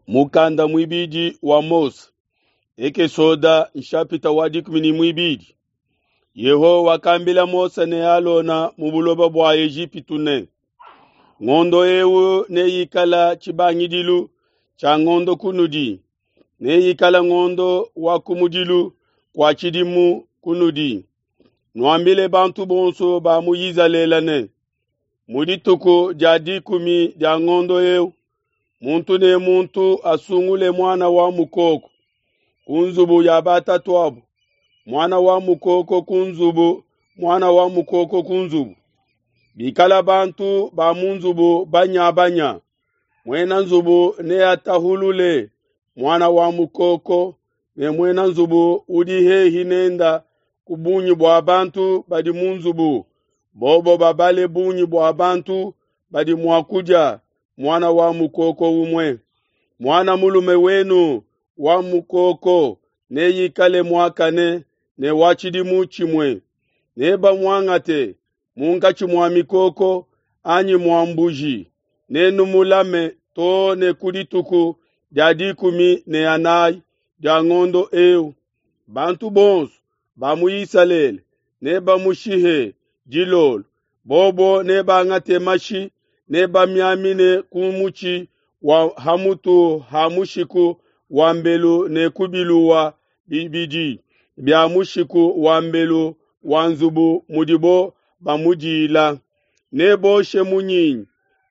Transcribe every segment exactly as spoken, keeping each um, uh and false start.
Mukanda muibidi wa Mose, Ekesoda nshapita wa dikumi ne muibidi. Yehowa wakambila Mose ne Alona mu buloba bua Ejipitu ne, ngondo eu neikala tshibangidilu tshia ngondo kunudi, neikala ngondo wa kumudilu kua tshidimu kunudi. Nuambile bantu bonso ba mu Izalele ne, mu dituku dia dikumi dia ngondo eu, muntu ne muntu asungule muana wa mukoko ku nzubu ya batatuabo, muana wa mukoko ku nzubu, muana wa mukoko ku nzubu. Bikala bantu ba mu nzubu banyabanya, muena nzubu neatahulule muana wa mukoko ne muena nzubu udi hehi nenda ku bungi bua bantu badi mu nzubu, bobo babale bungi bua bantu badi mua kudia muana wa mukoko umue. Muana mulume wenu wa mukoko neikale muakane ne wa tshidimu tshimue. Nebamuangate munkatshi mua mikoko anyi mua mbuji, nenumulame too ne ku dituku dia dikumi ne anayi dia ngondo eu. Bantu bonso ba mu Isalele nebamushihe dilolo, bobo nebangate mashi nebamiamine ku mutshi wa hamutu ha mushiku wa mbelu ne ku biluwa bibidi bia mushiku wa mbelu wa nzubu mudibo bamudila. Neboshe munyinyi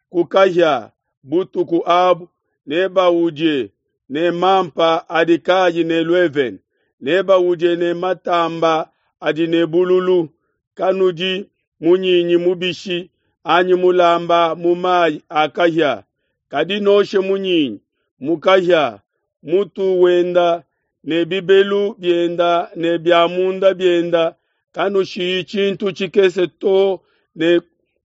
ku kahia butuku abu, nebaudie ne mampa adi kayi ne luevene, nebaudie ne matamba adi ne bululu. Kanudi munyinyi mubishi anyi mulamba mu mayi a kahia, kadi noshe munyinyi mu kahia, mutu wenda ne bibelu bienda ne bia munda bienda, kanushiyi tshintu tshikese to ne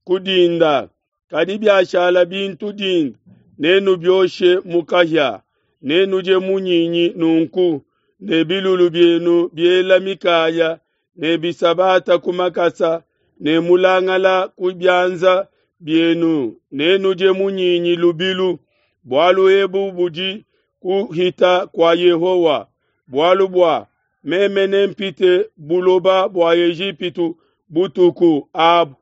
kudinda. Kadi biashala bintu dinda, nenubioshe mu kahia. Nenudie munyinyi nunku ne bilulu bienu biela mikaya ne bisabata ku makasa ne mulangala ku bianza bienu, nenudie munyinyi lubilu. Bualu ebu budi kuhita kua Yehowa, bualu bua meme nempite buloba bua Ejipitu butuku abu,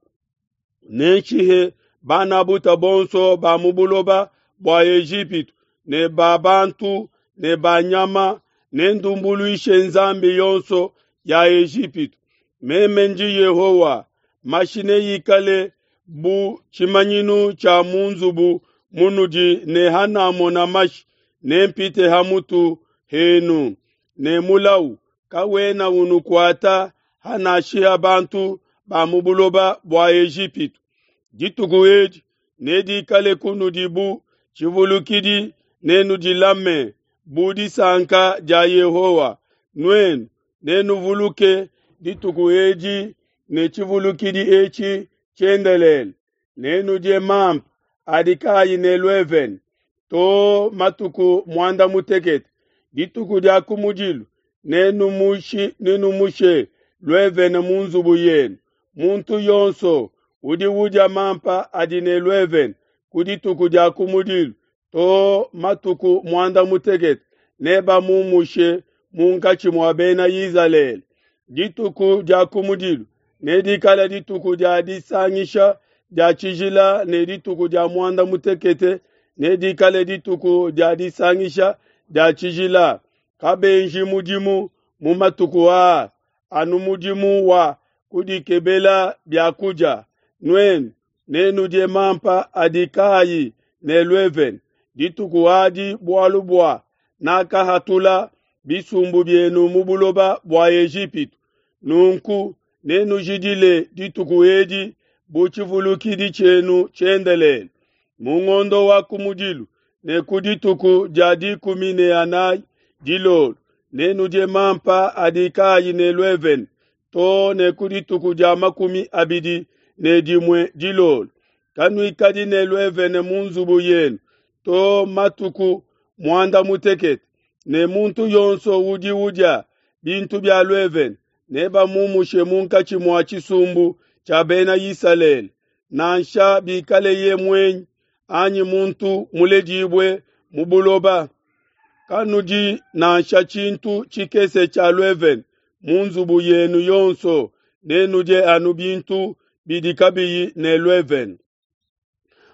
nenshihe bana buta bonso ba mu buloba bua Ejipitu ne ba bantu ne ba nyama, nendumbuluishe nzambi yonso ya Ejipitu. Meme ndi Yehowa. Mashi neikale bu tshimanyinu tshia mu nzubu munudi, ne hanamona mashi nempite hamutu henu, ne mulau kawena unukuata hanashiha bantu ba mu buloba bua Ejipitu. Dituku edi nedikale kunudi bu tshivulukidi, nenudilame bu disanka dia Yehowa. Nuenu nenuvuluke dituku edi ne tshivulukidi etshi tshiendelele. Nenudie mampa adi kayi ne luevene to matuku muanda mutekete. Dituku dia kumudilu nenumushi nenumushe luevene mu nzubu yenu. Muntu yonso udi udia mampa adi ne luevene ku dituku dia kumudilu to matuku muanda mutekete nebamumushe munkatshi mua bena Izalele. Dituku dia kumudilu nedikale dituku dia disangisha dia tshijila, ne dituku dia muanda mutekete nedikale dituku dia disangisha dia tshijila. Kabenji mudimu mu matuku aa, anu mudimu wa kudikebela biakudia. Nuenu nenudie mampa adi kayi ne luevene dituku adi, bualu bua nakahatula bisumbu bienu mu buloba bua Ejipitu. Nunku nenujidile dituku edi bu tshivulukidi tshienu tshiendelele. Mu ngondo wa kumudilu ne ku dituku dia dikumi ne anayi dilolo nenudie mampa adi kayi ne luevene to ne ku dituku dia makumi abidi ne dimue dilolo. Kanuikadi ne luevene mu nzubu yenu to matuku muanda mutekete, ne muntu yonso udi udia bintu bia luevene nebamumushe munkatshi mua tshisumbu tshia bena Isalele, nansha bikaleye muenyi anyi muntu muledibue mu buloba. Kanudi nansha tshintu tshikese tshia luevene mu nzubu yenu yonso, nenudie anu bintu bidi kabiyi ne luevene.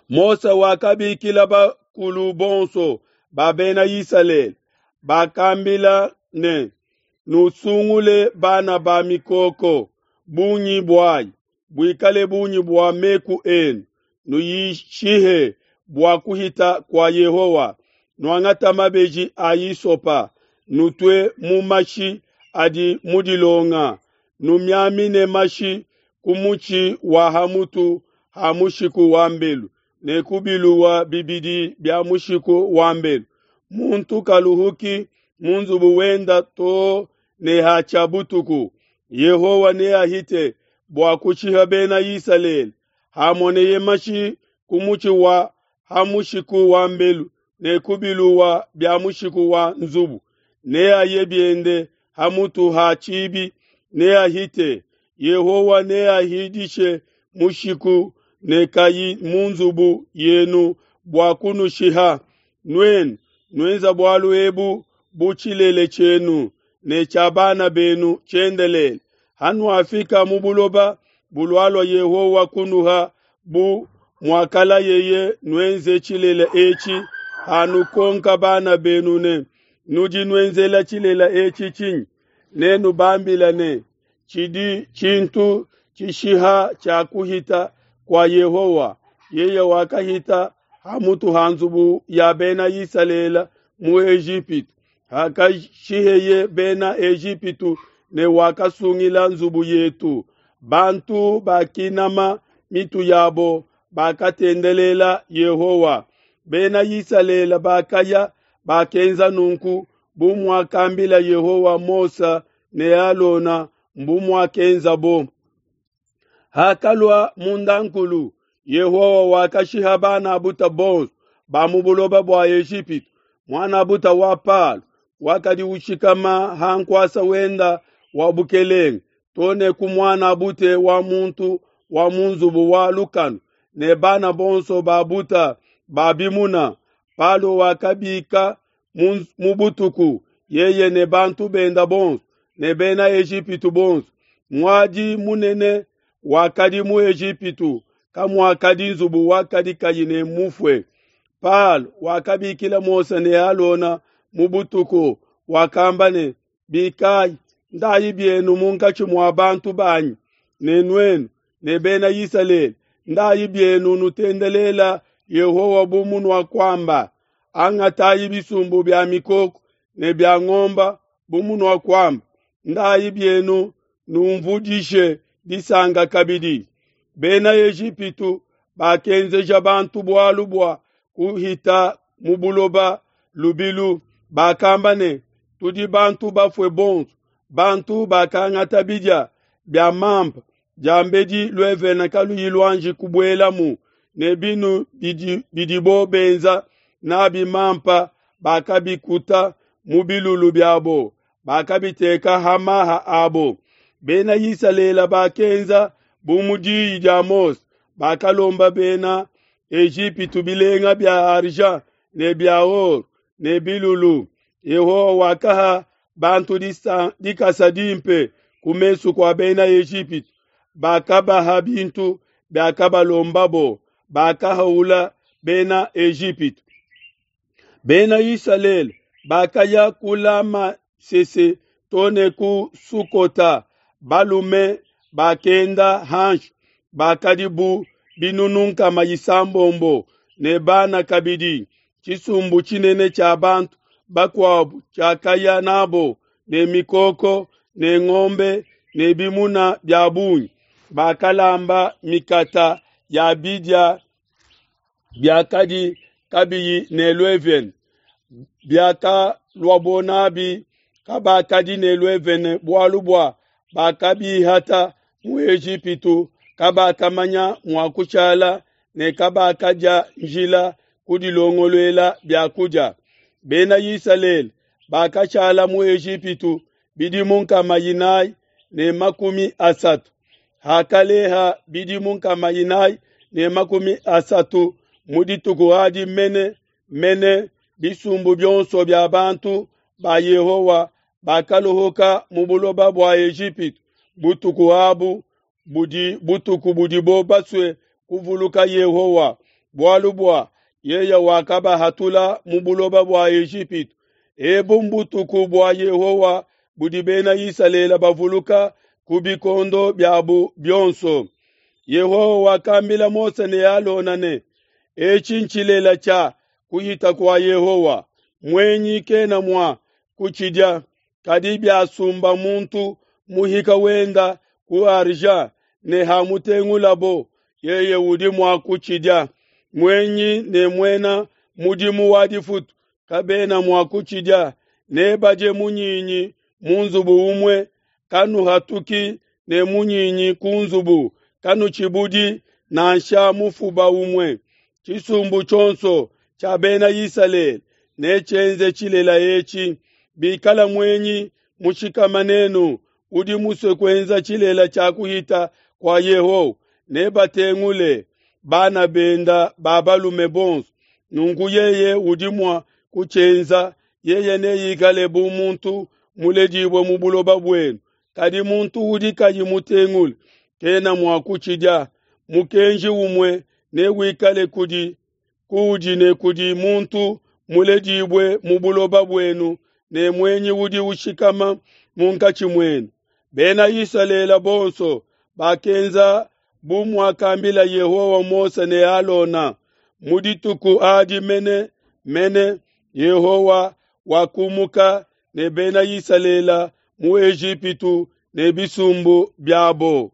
Mose wakabikila bakulu bonso ba Bena Isalele, bakambila ne, nusungule bana ba mikoko bungi buayi buikale bungi bua meku enu, nuyishihe bua kuhita kua Yehowa. Nuangata mabeji a isopa, nutue mu mashi adi mu dilonga, numiamine mashi ku mutshi wa ha mutu ha mushiku wa mbelu ne ku biluwa bibidi bia mushiku wa mbelu. Muntu kaluhuki mu nzubu wenda to ne hatshia butuku. Yehowa neahite bua kushiha Bena Isalele hamoneye mashi ku mutshi wa ha mushiku wa mbelu ne ku biluwa bia mushiku wa nzubu, neaye biende ha mutu ha tshibi, neahite. Yehowa neahidishe mushiku ne kayi mu nzubu yenu bua kunushiha. Nuenu nuenza bualu ebu bu tshilele tshienu ne tshia bana benu tshiendelele. Hanuafika mu buloba bulualua Yehowa kunuha bu muakalayeye, nuenze tshilele etshi. Hanukonka bana benu ne, nudi nuenzela tshilele etshi tshinyi? Nenubambile ne, tshidi tshintu tshishiha tshia kuhita kua Yehowa. Yeye wakahita ha mutu ha nzubu ya Bena Isalele mu Ejipitu, hakashiheye Bena Ejipitu, ne wakasungila nzubu yetu. Bantu bakinama mitu yabo, bakatendelela Yehowa. Bena Isalele bakaya bakenza nunku bu muakambila Yehowa Mose ne Alona, mbu muakenzabo. Hakalua mundankulu, Yehowa wakashiha bana buta bonso ba mu buloba bua Ejipitu. Muana buta wa Palo wakadi ushikama ha nkuasa wenda wa bukelenge, to ne ku muana bute wa muntu wa mu nzubu wa lukanu, ne bana bonso ba buta ba bimuna. Palo wakabika mu butuku, yeye ne bantu benda bonso ne Bena Ejipitu bonso. Muadi munene wakadi mu Ejipitu, kamuakadi nzubu wakadi kayi ne mufue. Palo wakabikila Mose ne Alona mu butuku, wakamba ne, Bikayi, ndayi bienu munkatshi mua bantu banyi, ne nuenu ne Bena Isalele, ndayi bienu nutendelela Yehowa bu munuakuamba. Angatayi bisumbu bia mikoko ne bia ngomba bu munuakuamba. Ndayi bienu numvudishe disanka kabidi. Bena Ejipitu bakenzeja bantu bualu bua kuhita mu buloba lubilu. Bakamba ne, tudi bantu bafue bonso. Bantu bakangata bidia bia mampa diambedi luevene kaluyi luanji kubuelamu, ne binu bidi, bidibo benza nabi mampa bakabikuta mu bilulu biabo, bakabiteka ha maha abo. Bena Isalele bakenza bu mu diyi dia Mose, bakalomba Bena Ejipitu bilenga bia argent ne bia or ne bilulu. Yehowa wakaha bantu dikasa dimpe ku mesu kua Bena Ejipitu, bakabaha bintu biakabalombabo, bakahaula Bena Ejipitu. Bena Isalele bakaya ku Lamasese to ne ku Sukota, balume bakenda hanshi bakadi bu binunu nkama isambombo ne bana kabidi. Tshisumbu tshinene tshia bantu bakuabu tshiakaya nabo ne mikoko ne ngombe ne bimuna bia bungi. Bakalamba mikata ya bidia biakadi kabiyi ne luevene, biakaluabo nabi kabakadi ne luevene, bualu bua bakabihata mu Ejipitu, kabakamanya mua kushala ne kabakadia njila kudilongoluela bia kudia. Bena Isalele bakashala mu Ejipitu bidimu nkama inayi ne makumi asatu. Hakaleha bidimu nkama inayi ne makumi asatu mu dituku adi mene mene bisumbu bionso bia bantu ba Yehowa bakaluhuka mu buloba bua Ejipitu butuku abu budi butuku budibo basue kuvuluka Yehowa, bualu bua yeye wakabahatula mu buloba bua Ejipitu. Ebu mbutuku bua Yehowa budi Bena Isalele bavuluka ku bikondo biabu bionso. Yehowa wakambila Mose ne Alona ne, Etshi ntshilela tshia kuhita kua Yehowa, muenyi kena mua kutshidia, kadi biasumba muntu muhika wenda ku argent ne hamutengulabo, yeye udi mua kutshidia. Muenyi ne muena mudimu wa difutu kabena mua kutshidia, nebadie munyinyi mu nzubu umue, kanuhatuki ne munyinyi ku nzubu, kanutshibudi nansha mufuba umue. Tshisumbu tshionso tshia Bena Isalele netshienze tshilela etshi. Bikala muenyi mushikama nenu udi musue kuenza tshilela tshia kuhita kua Yehowa, nebatengule bana benda ba balume bonso. Nunku yeye udi mua kutshienza, yeye neikale bu muntu muledibue mu buloba buenu. Kadi muntu udi kayi mutengule kena mua kutshidia. Mukenji umue newikale kudi kuudi ne kudi muntu muledibue mu buloba buenu ne muenyi udi ushikama munkatshi muenu. Bena Isalele bonso bakenza bu muakambila Yehowa Mose ne Alona. Mu dituku adi mene mene Yehowa wakumuka ne Bena Isalele mu Ejipitu ne bisumbu biabo.